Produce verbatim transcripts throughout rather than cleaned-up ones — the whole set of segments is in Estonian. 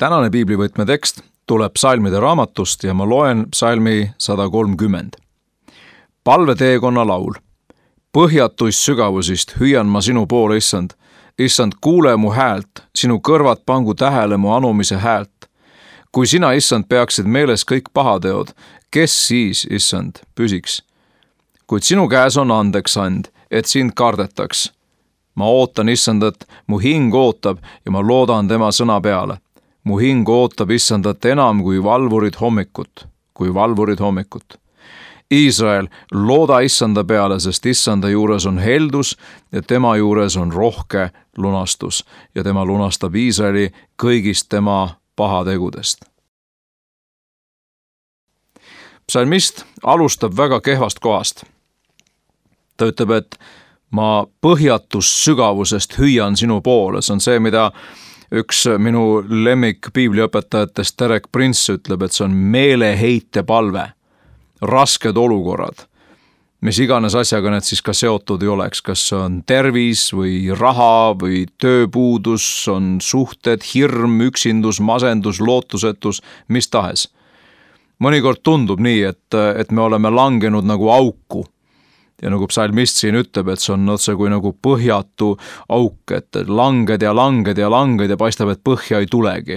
Tänane piiblivõtme tekst tuleb psalmide raamatust ja ma loen psalmi sada kolmkümmend. Palveteekonna laul. Põhjatuist sügavusist hüüan ma sinu poole, issand. Issand, kuule mu häält, sinu kõrvad pangu tähele mu anumise häält. Kui sina, issand, peaksid meeles kõik pahateod, kes siis, issand, püsiks? Kuid sinu käes on andeks and, et sind kardetaks. Ma ootan, issandat, mu hing ootab ja ma loodan tema sõna peale. Mu hing ootab issandat enam kui valvurid hommikut, kui valvurid hommikut. Iisrael, looda issanda peale, sest issanda juures on heldus ja tema juures on rohke lunastus ja tema lunastab Iisraeli kõigist tema pahategudest. Psalmist alustab väga kehvast kohast. Ta ütleb, et ma põhjatus sügavusest hüüan sinu poole. See on see, mida üks minu lemmik piibliõpetajatest Derek Prince ütleb, et see on meeleheite palve, rasked olukorrad, mis iganes asjaga need siis ka seotud ei oleks, kas see on tervis või raha või tööpuudus, on suhted, hirm, üksindus, masendus, lootusetus, mis tahes. Mõnikord tundub nii, et, et me oleme langenud nagu auku. Ja nagu psalmist siin ütleb, et see on otse kui nagu põhjatu auk, et langed ja langed ja langed ja paistab, et põhja ei tulegi.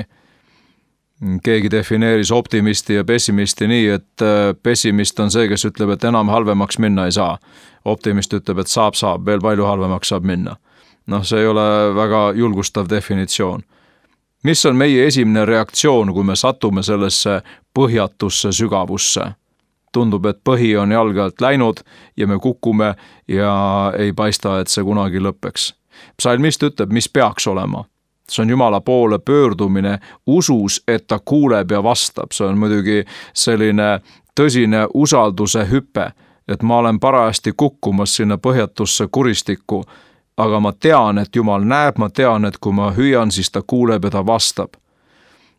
Keegi defineeris optimisti ja pessimisti nii, et pessimist on see, kes ütleb, et enam halvemaks minna ei saa. Optimist ütleb, et saab, saab, veel palju halvemaks saab minna. Noh, see ei ole väga julgustav definitsioon. Mis on meie esimene reaktsioon, kui me satume sellesse põhjatusse sügavusse? Tundub, et põhi on jalge alt läinud ja me kukume ja ei paista, et see kunagi lõppeks. Psalmist ütleb, mis peaks olema. See on Jumala poole pöördumine usus, et ta kuuleb ja vastab. See on muidugi selline tõsine usalduse hüpe, et ma olen parajasti kukkumas sinna põhjatusse kuristikku, aga ma tean, et Jumal näeb, ma tean, et kui ma hüüan, siis ta kuuleb ja ta vastab.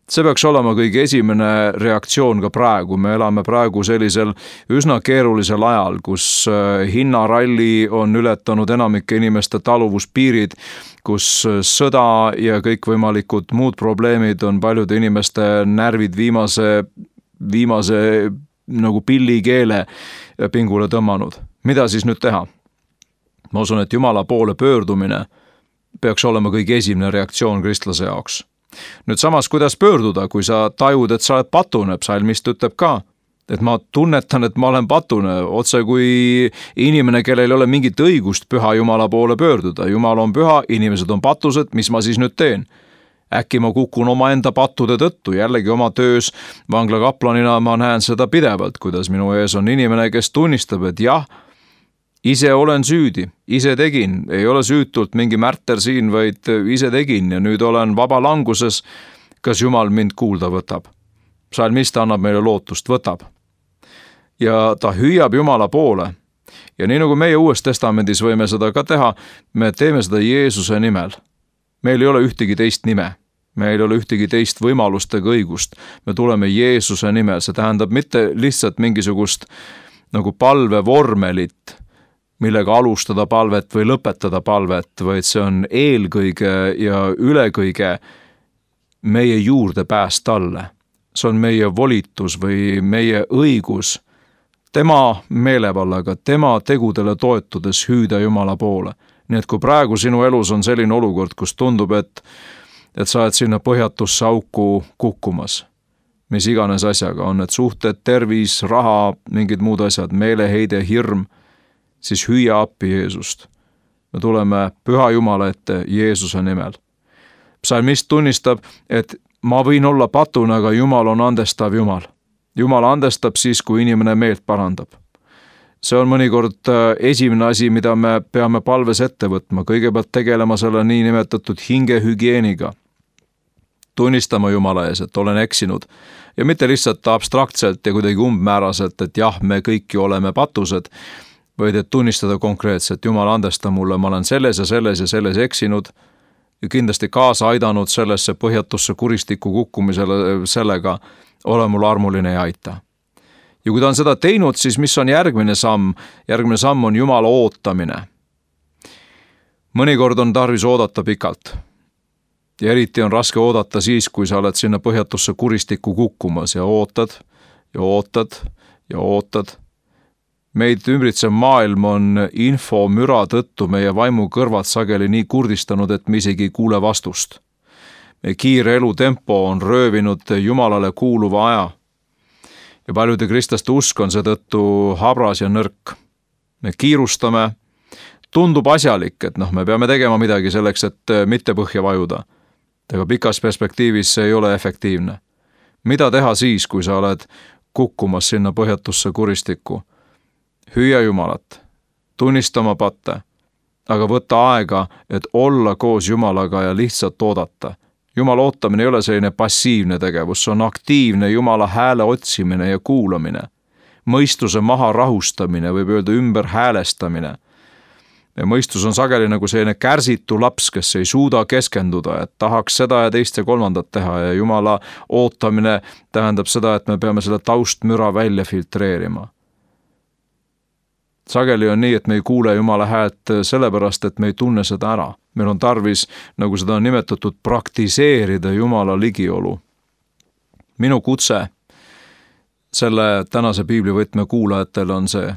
See peaks olema kõige esimene reaktsioon ka praegu. Me elame praegu sellisel üsna keerulisel ajal, kus hinnaralli on ületanud enamike inimeste taluvuspiirid, kus sõda ja kõikvõimalikud muud probleemid on paljude inimeste närvid viimase, viimase nagu pillikeele pingule tõmmanud. Mida siis nüüd teha? Ma usun, et Jumala poole pöördumine peaks olema kõige esimene reaktsioon kristlase jaoks. Nüüd samas, kuidas pöörduda, kui sa tajud, et sa oled patune, psalmist ütleb ka, et ma tunnetan, et ma olen patune, otse kui inimene, kellel ei ole mingit õigust püha Jumala poole pöörduda. Jumal on püha, inimesed on patused, mis ma siis nüüd teen? Äkki ma kukun oma enda pattude tõttu, jällegi oma töös vanglakaplanina ma näen seda pidevalt, kuidas minu ees on inimene, kes tunnistab, et jah, ise olen süüdi, ise tegin, ei ole süütult mingi märter siin, vaid ise tegin ja nüüd olen vaba languses, kas Jumal mind kuulda võtab. Psalmist annab meile lootust, võtab. Ja ta hüüab Jumala poole. Ja nii nagu meie Uues Testamendis võime seda ka teha, me teeme seda Jeesuse nimel. Meil ei ole ühtegi teist nime. Meil ei ole ühtegi teist võimalustega õigust. Me tuleme Jeesuse nimel. See tähendab mitte lihtsalt mingisugust nagu palvevormelit, millega alustada palvet või lõpetada palvet, vaid see on eelkõige ja ülekõige meie juurdepääs talle. See on meie volitus või meie õigus tema meelevallaga, tema tegudele toetudes hüüda Jumala poole. Nii et kui praegu sinu elus on selline olukord, kus tundub, et, et sa oled sinna põhjatusse auku kukkumas, mis iganes asjaga on, et suhted, tervis, raha, mingid muud asjad, meeleheide, hirm, siis hüüa appi Jeesust. Me tuleme püha Jumala ette Jeesuse nimel. Psalmist tunnistab, et ma võin olla patune, aga Jumal on andestav Jumal. Jumal andestab siis, kui inimene meelt parandab. See on mõnikord esimene asi, mida me peame palves ette võtma. Kõigepealt tegelema selle niinimetatud hingehügieeniga. Tunnistama Jumala ees, et olen eksinud. Ja mitte lihtsalt abstraktselt ja kuidagi umbmääraselt, et jah, me kõiki oleme patused, vaid et tunnistada konkreetselt, Jumal andesta mulle, ma olen selles ja selles ja selles eksinud ja kindlasti kaasa aidanud sellesse põhjatusse kuristiku kukkumisele sellega, ole mul armuline ja aita. Ja kui ta on seda teinud, siis mis on järgmine samm? Järgmine samm on Jumala ootamine. Mõnikord on tarvis oodata pikalt. Ja eriti on raske oodata siis, kui sa oled sinna põhjatusse kuristikku kukkumas ja ootad ja ootad ja ootad. Meid ümbritsev maailm on info müra tõttu meie vaimu kõrvad sageli nii kurdistanud, et me isegi ei kuule vastust. Meie kiire elutempo on röövinud Jumalale kuuluva aja. Ja paljude kristlaste usk on seetõttu habras ja nõrk. Me kiirustame, tundub asjalik, et noh, me peame tegema midagi selleks, et mitte põhja vajuda. Aga pikas perspektiivis see ei ole efektiivne. Mida teha siis, kui sa oled kukkumas sinna põhjatusse kuristikku? Hüüa Jumalat, tunnista oma patte, aga võtta aega, et olla koos Jumalaga ja lihtsalt oodata. Jumala ootamine ei ole selline passiivne tegevus, see on aktiivne Jumala hääle otsimine ja kuulamine. Mõistuse maha rahustamine, võib öelda ümber häälestamine. Ja mõistus on sageli nagu selline kärsitu laps, kes ei suuda keskenduda, et tahaks seda ja teist ja kolmandat teha ja Jumala ootamine tähendab seda, et me peame selle taustmüra välja filtreerima. Sageli on nii, et me ei kuule Jumala häält sellepärast, et me ei tunne seda ära. Meil on tarvis, nagu seda on nimetatud, praktiseerida Jumala ligiolu. Minu kutse selle tänase piiblivõtme kuulajatele on see.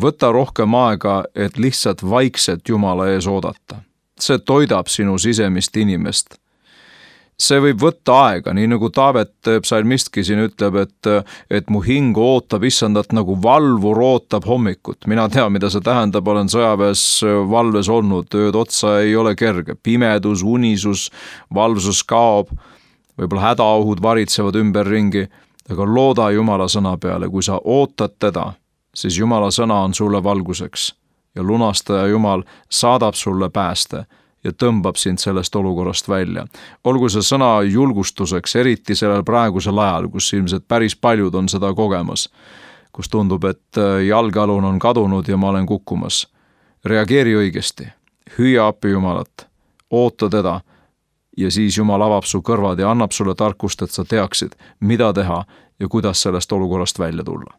Võta rohkem aega, et lihtsalt vaikselt Jumala ees oodata. See toidab sinu sisemist inimest. See võib võtta aega, nii nagu Taavet psalmistki siin ütleb, et, et mu hing ootab issandat nagu valvur ootab hommikut. Mina tean, mida see tähendab, olen sõjaväes valves olnud, ööd otsa ei ole kerge. Pimedus, unisus, valvsus kaob, võib-olla hädaohud varitsevad ümberringi, aga looda Jumala sõna peale, kui sa ootad teda, siis Jumala sõna on sulle valguseks ja lunastaja Jumal saadab sulle pääste ja tõmbab sind sellest olukorrast välja. Olgu see sõna julgustuseks, eriti sellel praegusel ajal, kus ilmselt päris paljud on seda kogemas, kus tundub, et jalgealun on kadunud ja ma olen kukkumas. Reageeri õigesti, hüüa appi Jumalat, oota teda ja siis Jumal avab su kõrvad ja annab sulle tarkust, et sa teaksid, mida teha ja kuidas sellest olukorrast välja tulla.